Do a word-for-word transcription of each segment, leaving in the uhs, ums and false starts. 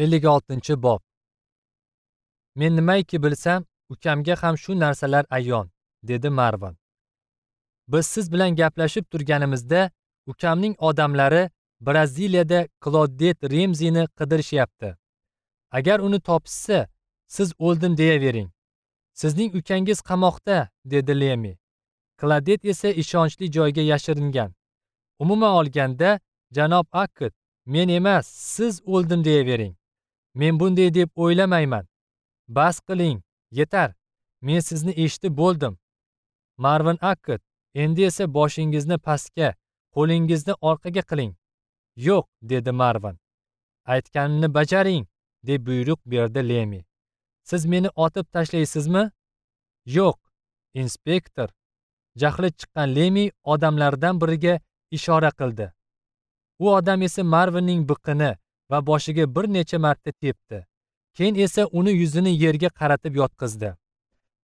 ellik oltinchi bob. Men nimayki bilsam, ukamga ham shu narsalar ayon, dedi Marvin. Biz siz bilan gaplashib turganimizda ukamning odamlari Braziliyada Klodet Remzini qidirishyapti. Agar uni topishsa, siz o'ldim deyavering. Sizning ukangiz qamoqda, dedi Lemi. Klodet esa ishonchli joyga yashiringan. Umuman olganda, janob Akkad, men emas, siz o'ldim deyavering. Men bunday deb o'ylamayman. Bas qiling, yetar. Men sizni eshitib bo'ldim. Marvin Akkad, endi esa boshingizni pastga, qo'lingizni orqaga qiling. Yo'q, dedi Marvin. Aytganimni bajaring, deb buyruq berdi Lemi. Siz meni otib tashlaysizmi? Yo'q, inspektor. Jahli chiqqan Lemi odamlardan biriga ishora qildi. U odam esa Marvinning biqini va boshiga bir necha marta tepdi. Keyin esa uni yuzini yerga qaratib yotqizdi.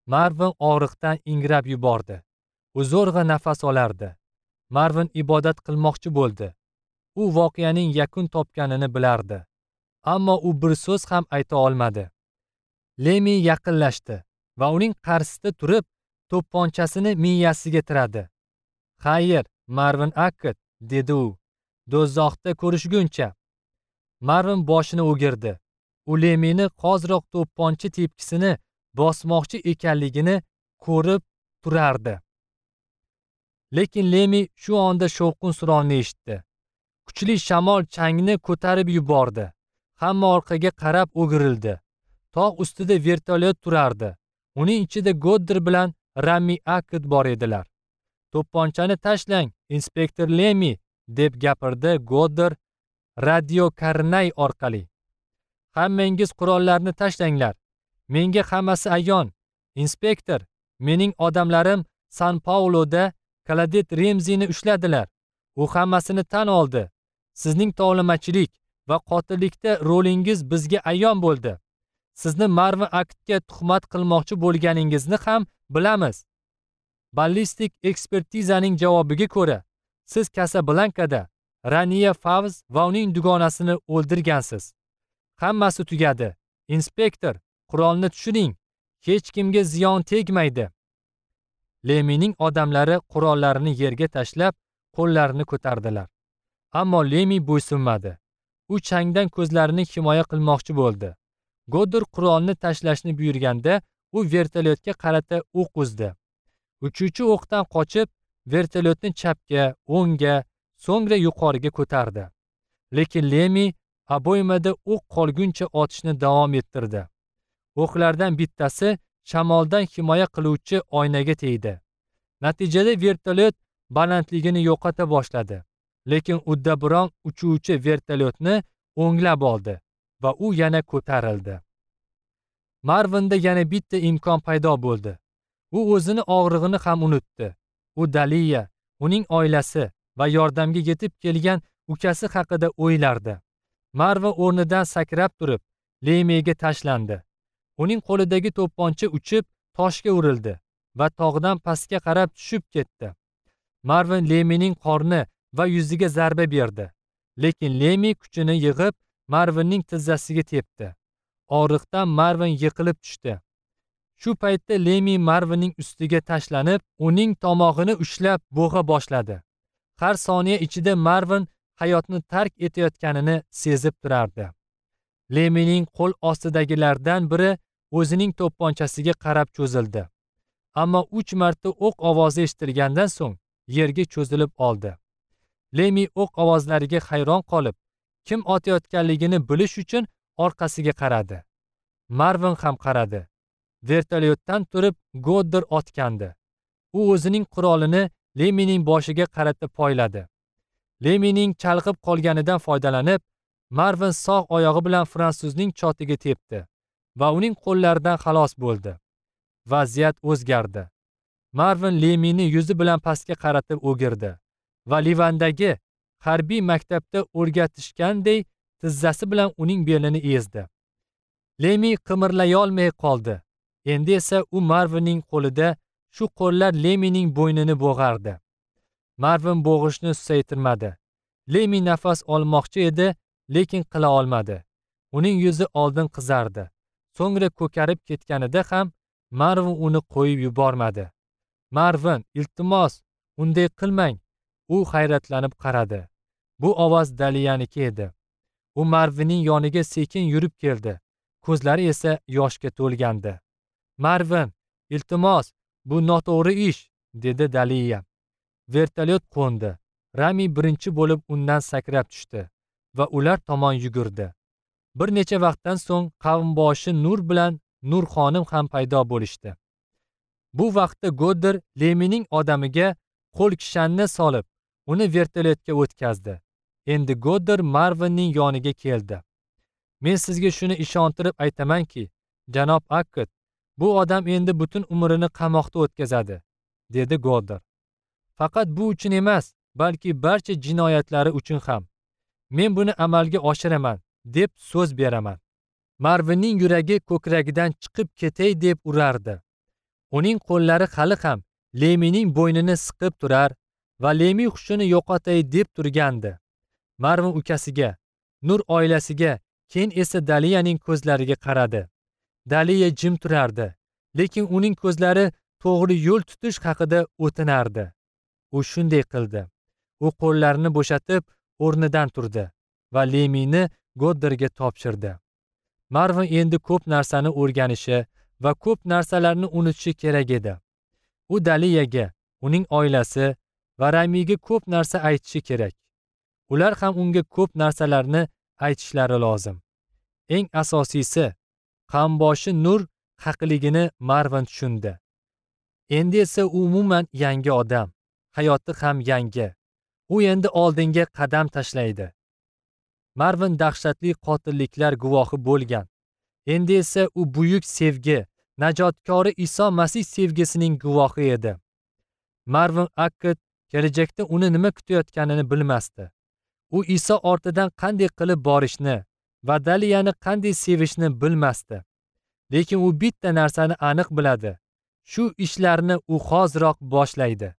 Marvin og'riqdan ingrab yubordi. U zo'rg'a nafas olardi. Marvin ibodat qilmoqchi bo'ldi. U voqeaning yakun topganini bilardi. Ammo u bir so'z ham ayta olmadi. Lemi yaqinlashdi va uning qarshisida turib, to'pponchasini miyasiga tiradi. "Xayr, Marvin Akkad," dedi u. "Do'zaxda ko'rishguncha." Marvin boshini o'girdi. U Lemini qoziroq to'pponcha tepkisini bosmoqchi ekanligini ko'rib turardi. Lekin Lemi shu onda shovqin-suronni eshitdi. Kuchli shamol changni ko'tarib yubordi. Hamma orqaga qarab o'girildi. Tog' ustida vertolyot turardi. Uning ichida Godder bilan Rami Akkad bor edilar. "To'pponchani tashlang, inspektor Lemi," deb gapirdi Godder radio karnay orqali. "Hammangiz qurollarni tashlanglar. Menga hammasi ayon. Inspektor, mening odamlarim San Pauloda Klodet Remzini ushladilar. U hammasini tan oldi. Sizning tovlamachilik va qotillikda rolingiz bizga ayon bo'ldi. Sizni Marvin Akkadga tuhmat qilmoqchi bo'lganingizni ham bilamiz. Ballistik ekspertizaning javobiga ko'ra, siz Kasablankada Raniya Favz va uning dugonasini o'ldirgansiz. Hammasi tugadi. Inspektor, qurolni tushiring. Hech kimga ziyon tegmaydi." Lemining odamlari qurollarini yerga tashlab, qo'llarini ko'tardilar. Ammo Lemi bo'ysunmadi. U changdan ko'zlarini himoya qilmoqchi bo'ldi. Godder qurolni tashlashni buyurganda, u vertolyotga qarata o'q uzdi. Uchuvchi o'qdan qochib, vertolyotni chapga, o'ngga, so'ngra yuqoriga ko'tardi. Lekin Lemi oboymada o'q qolguncha otishni davom ettirdi. O'qlardan bittasi shamoldan himoya qiluvchi oynaga tegdi. Natijada vertolyot balandligini yo'qota boshladi. Lekin uddaburon uchuvchi vertolyotni o'nglab oldi va u yana ko'tarildi. Marvinda yana bitta imkon paydo bo'ldi. U o'zini og'rig'ini ham unutdi. U Daliya, uning oilasi va yordamga yetib kelgan ukasi haqida o'ylardi. Marvin o'rnidan sakrab turib, Lemiga tashlandi. Uning qo'lidagi to'pponcha uchib toshga urildi va tog'dan pastga qarab tushib ketdi. Marvin Lemining qorni va yuziga zarba berdi. Lekin Lemi kuchini yig'ib Marvinning tizzasiga tepdi. Og'riqdan Marvin yiqilib tushdi. Shu paytda Lemi Marvinning ustiga tashlanib, uning tomog'ini ushlab bo'g'a boshladi. Har soniya ichida Marvin hayotni tark etayotganini sezib turardi. Lemining qo'l ostidagilardan biri o'zining to'pponchasiga qarab cho'zildi. Ammo uch marta o'q ovozi eshitilgandan so'ng yerga cho'zilib oldi. Lemi o'q ovozlariga hayron qolib, kim otayotganligini bilish uchun orqasiga qaradi. Marvin ham qaradi. Vertolyotdan turib Godder otgandi. U o'zining qurolini Lemining boshiga qarata poyladi. Lemining chalg'ib qolganidan foydalanib, Marvin sog' oyog'i bilan fransuzning chotiga tepdi va uning qo'llaridan xalos bo'ldi. Vaziyat o'zgardi. Marvin Lemini yuzi bilan pastga qaratib o'girdi va Livandagi harbiy maktabda o'rgatishganday tizzasi bilan uning belini ezdi. Lemi qimirlay olmay qoldi. Endi esa u Marvinning qo'lida, shu qo'llar Lemining bo'ynini bo'g'ardi. Marvin bo'g'ishni susaytirmadi. Lemi nafas olmoqchi edi, lekin qila olmadi. Uning yuzi oldin qizardi. So'ngra ko'karib ketganida ham Marvin uni qo'yib yubormadi. Marvin, iltimos, unday qilmang. U hayratlanib qaradi. Bu ovoz Daliyaniki edi. U Marvinning yoniga sekin yurib keldi. Ko'zlari esa yoshga to'lgandi. Marvin, iltimos, bu noto'g'ri ish, dedi Daliya. Vertolyot qo'ndi. Rami birinchi bo'lib undan sakrab tushdi va ular tomon yugurdi. Bir necha vaqtdan so'ng qavmboshi Nur bilan Nur xonim ham paydo bo'lishdi. Bu vaqtda Godder Lemining odamiga qo'l kishanni solib, uni vertolyotga o'tkazdi. Endi Godder Marvinning yoniga keldi. Men sizga shuni ishontirib aytamanki, janob Akkad, bu odam endi butun umrini qamoqda o'tkazadi, dedi Godder. Faqat bu uchun emas, balki barcha jinoyatlari uchun ham. Men buni amalga oshiraman, deb so'z beraman. Marvinning yuragi ko'kragidan chiqib ketay deb urardi. Uning qo'llari hali ham Lemining bo'ynini siqib turar va Lemi hushini yo'qotay deb turgandi. Marvin ukasiga, Nur oilasiga, keyin esa Daliyaning ko'zlariga qaradi. Daliya jim turardi, lekin uning ko'zlari to'g'ri yo'l tutish haqida o'tinardi. U shunday qildi. U qo'llarini bo'shatib o'rnidan turdi va Lemini Godderga topshirdi. Marvin endi ko'p narsani o'rganishi va ko'p narsalarni unutishi kerak edi. U Daliyaga, uning oilasi va Ramiga ko'p narsa aytishi kerak. Ular ham unga ko'p narsalarni aytishlari lozim. Eng asosiysi, qamboshi Nur haqligini Marvin tushundi. Endi esa u umuman yangi odam, hayoti ham yangi. U endi oldinga qadam tashlaydi. Marvin dahshatli qotilliklar guvohi bo'lgan. Endi esa u buyuk sevgi, najotkori Iso Masih sevgisining guvohi edi. Marvin Akkad kelajakda uni nima kutayotganini bilmasdi. U Iso ortidan qanday qilib borishni va Daliyani qanday sevishni bilmasdi. Lekin u bitta narsani aniq biladi. Shu ishlarni u hoziroq boshlaydi.